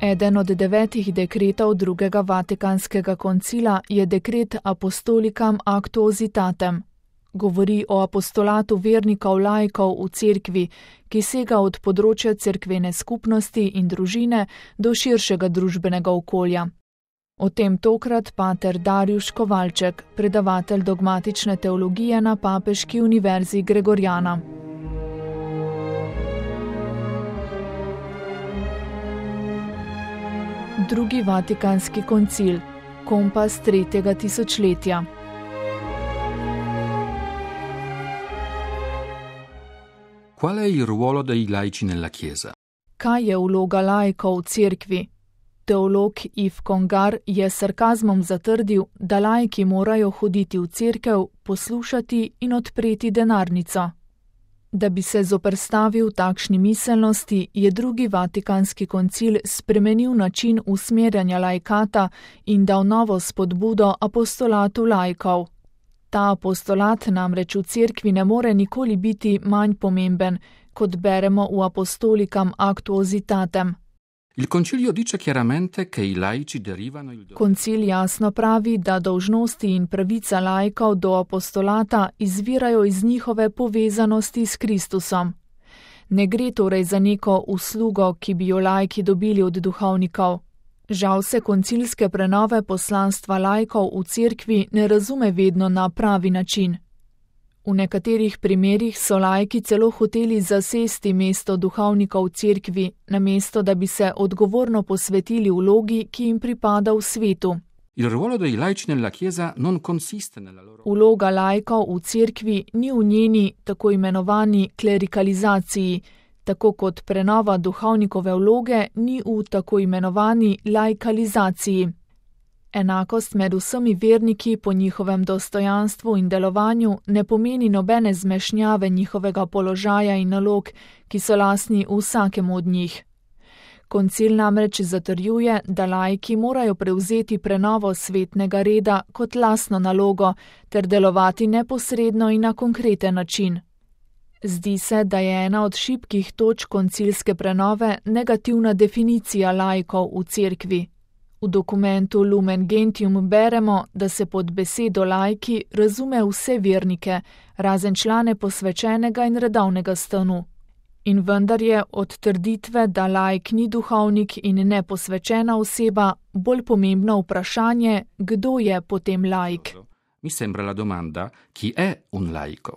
Eden od 9 dekretov drugega Vatikanskega koncila je dekret Apostolicam Actuositatem. Govori o apostolatu vernikov laikov v cerkvi, ki sega od področja cerkvene skupnosti in družine do širšega družbenega okolja. O tem tokrat pater Darjuš Kovalček, predavatelj dogmatične teologije na Papeški univerzi Gregorjana. Drugi Vatikanski koncil, kompas 3. tisočletja. Qual è il ruolo dei laici nella Chiesa? Kaj je vloga laikov v cerkvi? Teolog Yves Congar je s sarkazmom zatrdil, da laiki morajo hoditi v cerkev, poslušati in odpreti denarnico. Da bi se zoperstavil takšni miselnosti, je drugi Vatikanski koncil spremenil način usmerjanja laikata in dal novo spodbudo apostolatu laikov. Ta apostolat namreč v cerkvi ne more nikoli biti manj pomemben, kot beremo v Apostolicam Actuositatem. Il concilio dice chiaramente che i laici derivano il dovere. Koncil jasno pravi, da dolžnosti in pravica laikov do apostolata izvirajo iz njihove povezanosti s Kristusom. Ne gre torej za neko uslugo, ki bi jo laiki dobili od duhovnikov. Žal se koncilske prenove poslanstva laikov v cerkvi ne razume vedno na pravi način. V nekaterih primerih so laiki celo hoteli zasesti mesto duhovnikov v cerkvi, namesto da bi se odgovorno posvetili vlogi, ki jim pripada v svetu. Il ruolo dei laici nella Chiesa non consiste nella loro... Vloga laikov v cerkvi ni v njeni tako imenovani klerikalizaciji, tako kot prenova duhovnikove vloge ni v tako imenovani laikalizaciji. Enakost med vsemi verniki po njihovem dostojanstvu in delovanju ne pomeni nobene zmešnjave njihovega položaja in nalog, ki so lastni vsakemu od njih. Koncil namreč zatrjuje, da laiki morajo prevzeti prenovo svetnega reda kot lastno nalogo ter delovati neposredno in na konkreten način. Zdi se, da je ena od šibkih točk koncilske prenove negativna definicija laikov v cerkvi. V dokumentu Lumen Gentium beremo, da se pod besedo laiki razume vse vernike, razen člane posvečenega in redovnega stanu. In vendar je od trditve, da laik ni duhovnik in neposvečena oseba, bolj pomembno vprašanje, kdo je potem laik. Mi sembra la domanda, chi è un laico?